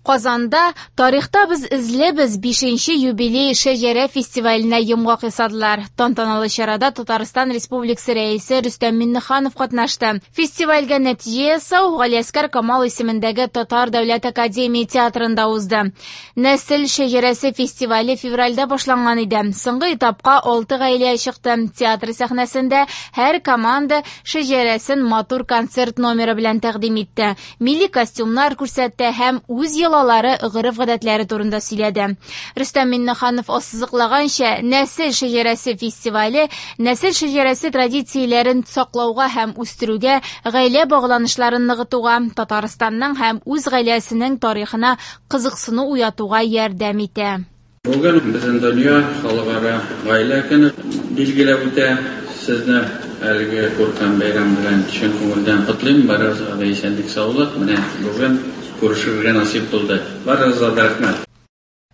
Казанда «Тарихта без эзлебез» бишенче юбилей шәҗәрә фестиваленә йомгак ясадылар. Тантаналы чарада Татарстан Республикасы Рәисе Рөстәм Миңнеханов катнашты. Фестивальгә нәтиҗә ясау Галиәсгар Камал исемендәге Татар дәүләт академия театрында узды. Нәсел шәҗәрәсе фестивале февральдә башланган иде. Соңгы этапка алты гаилә чыкты. Театр сәхнәсендә һәр команда шәҗәрәсен матур концерт номеры белән тәкъдим итте. Милли костюмнар күрсәтте һәм үз йолалары, гореф-гадәтләре турында сөйләде. Рөстәм Миңнеханов ассызыклаганча, Нәсел шәҗәрәсе фестивале нәсел шәҗәрәсе традицияләрен саклауга һәм үстерүгә, гаилә багланышларын ныгытуга, Татарстанның һәм үз гаиләсенең тарихына кызыксыну уятуга ярдәм итә. Бүген бөтен дөнья Халыкара гаилә көне билгеләп үтә. Сезне әлеге күркәм бәйрәм белән чын күңелдән котлыйм. Барыгызга да исәнлек-саулык. Менә бүген күрешергә насыйп булды. Барыгызга да рәхмәт.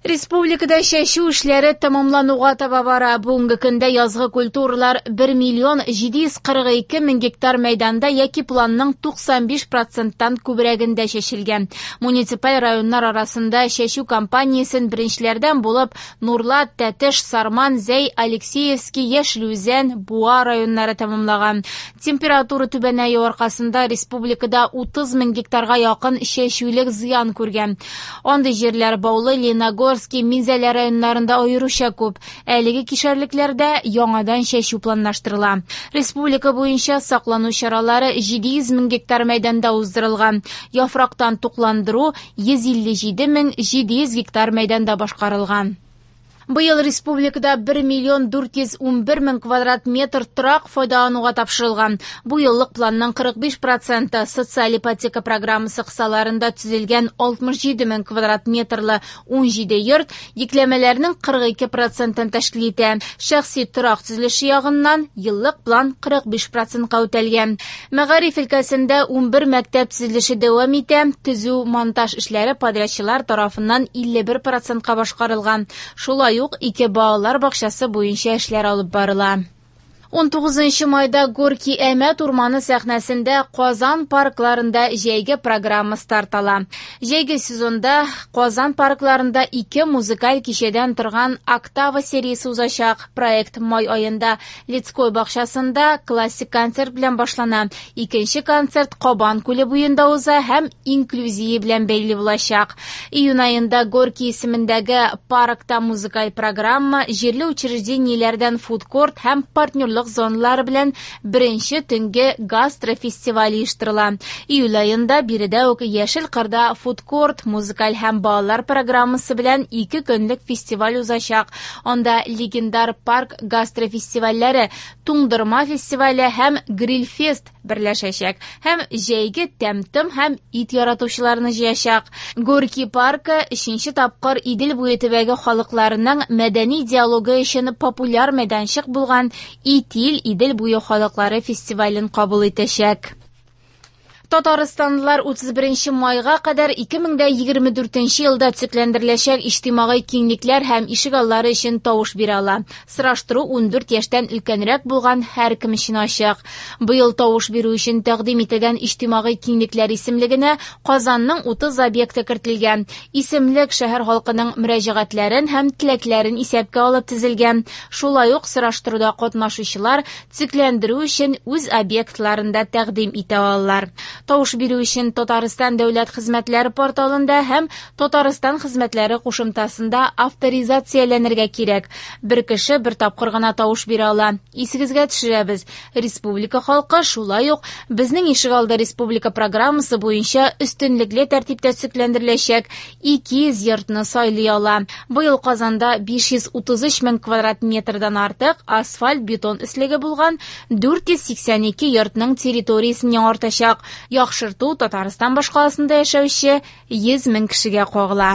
Республикада чәчү эшләре тәмамлануга таба бара. Бүгенге көндә язгы культуралар 1 миллион 742 мең гектар мәйданда яки планның 95 проценттан күбрәгендә чәчелгән. Муниципаль районнар арасында чәчү кампаниясен беренчеләрдән булып Нурлат, Тәтеш, Сарман, Зәй, Алексеевский, Яшел Үзән, Буа районнары тәмамлаган. Температура түбәнәю аркасында республикада 30 мең гектарга якын чәчүлек зыян күргән. Андый җирләр Баулы, Лениногорский, Минзәлә районнарында аеруча күп. Әлеге кишәрлекләрдә яңадан чәчү планлаштырыла. Республика буенча саклану чаралары 700 мең гектар мәйданда уздырылган. Яфрактан тукландыру 157 мең 700 гектар мәйданда башкарылган. Быел республикада 1 миллион 411 мең квадрат метр торак файдалануга тапшырылган. Бу еллык планның 45 проценты социаль ипотека программасы кысаларында төзелгән 67 мең квадрат метрлы 17 йорт йөкләмәләрнең 42 процентын тәшкил итә. Шәхси торак төзелеше ягыннан еллык план 45 процентка үтәлгән. Мәгариф өлкәсендә 11 мәктәп төзелеше дәвам итә. Төзү монтаж эшләре подрядчылар тарафыннан 51 процентка башкарылган. Шулай ук ике балалар бакчасы буенча эшләр алып барыла. 19 майда Горки Әмәт урманы сәхнәсендә Казан паркларында җәйге программа старт ала. Җәйге сезонда Казан паркларында ике музыкаль кичәдән торган Октава сериясе узачак. Проект май аенда Лицкой бакчасында классик концерт белән башлана. Икенче концерт Кабан күле буенда уза һәм инклюзия белән бәйле булачак. Июнь аенда Горький исемендәге паркта музыкаль программа, җирле учреждениеләрдән фудкорт һәм партнерлык зоналары белән беренче төнге гастрофестиваль оештырыла. Июль аенда биредә үк Яшел кырда фудкорт, музыкаль һәм балалар программасы белән ике көнлек фестиваль узачак. Анда легендар парк гастрофестивальләре, Туңдырма фестивале һәм Грильфест берләшәчәк һәм җәйге тәм-том һәм ит яратучыларны җыячак. Горький паркы өченче тапкыр Идел буе төбәге халыкларының мәдәни диалогы өчен популяр мәйданчык булган Итил Идел буе халыклары фестивален кабул итәчәк. Татарстанлылар 31 майга кадәр 2024 елда төзекләндереләчәк иҗтимагый киңлекләр һәм ишегаллары өчен тавыш бирә ала. Сораштыру 14 яшьтән өлкәнрәк булган һәркем өчен ачык. Быел тавыш бирү өчен тәкъдим ителгән иҗтимагый киңлекләр исемлегенә Казанның 30 объекты кертелгән. Исемлек шәһәр халкының мөрәҗәгатьләрен һәм теләкләрен исәпкә алып төзелгән. Шулай ук сораштыруда катнашучылар төзекләндерү өчен үз объектларын да тәкъдим итә алалар. Тавыш бирү өчен Татарстан дәүләт хезмәтләре порталында һәм Татарстан хезмәтләре кушымтасында авторизацияләнергә кирәк. Бер кеше бер тапкыр гына тавыш бирә ала. Исегезгә төшерәбез, республика халкы шулай ук Безнең ишегалды республика программасы буенча өстенлекле тәртиптә төзекләндереләчәк 200 йортны сайлый ала. Быел Казанда 533 мең квадрат метрдан артык асфальт-бетон өслеге булган 482 йортның территориясен яңартачак. Яхшырту Татарстан башкаласында яшәүче 100 мең кешегә кагыла.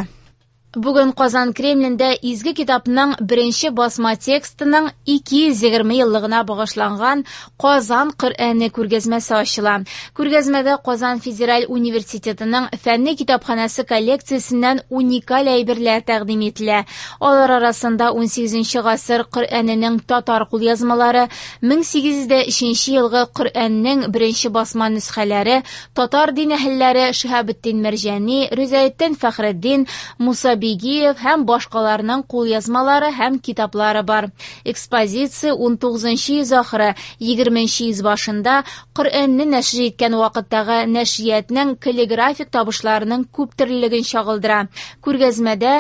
Бүген Казан Кремлендә Изге китапның беренче басма текстының 220 еллыгына багышланган Казан Коръәне күргәзмәсе ачыла. Күргәзмәдә Казан федераль университетының фәнни китапханәсе коллекциясеннән уникаль әйберләр тәкъдим ителә. Алар арасында 18 гасыр Коръәненең татар кулъязмалары, 1803 елгы Коръәннең беренче басма нөсхәләре, татар дин әһелләре Шиһабетдин Мәрҗани, Ризаэддин Фәхретдин, Муса Бигиев һәм башкаларның кулъязмалары һәм китаплары бар. Экспозиция 19 йөз ахыры, 20 йөз башында Коръәнне нәшер иткән вакыттагы нәшриятның каллиграфик табышларының күптөрлелеген чагылдыра. Күргәзмәдә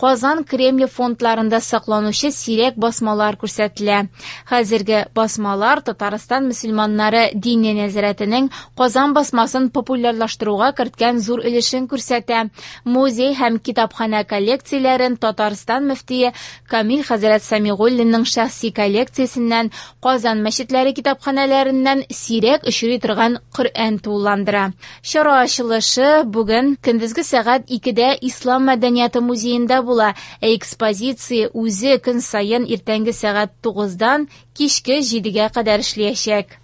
Казан Кремле фондларында сакланучы сирәк басмалар күрсәтелә. Хәзерге басмалар Татарстан мөселманнары Диния нәзарәтенең Казан басмасын популярлаштыруга керткән зур өлешен күрсәтә. Музей һәм китапханә коллекцияләрен Татарстан мөфтие Камил хәзрәт Сәмигуллинның шәхси коллекциясеннән, Казан мәчетләре китапханәләреннән сирәк очрый торган Коръән тулыландыра. Чара ачылышы бүген көндезге сәгать 2дә Ислам мәдәнияте музеенда була, ә экспозиция үзе көн саен иртәнге сәгать 9дан кичке 7гә кадәр эшләячәк.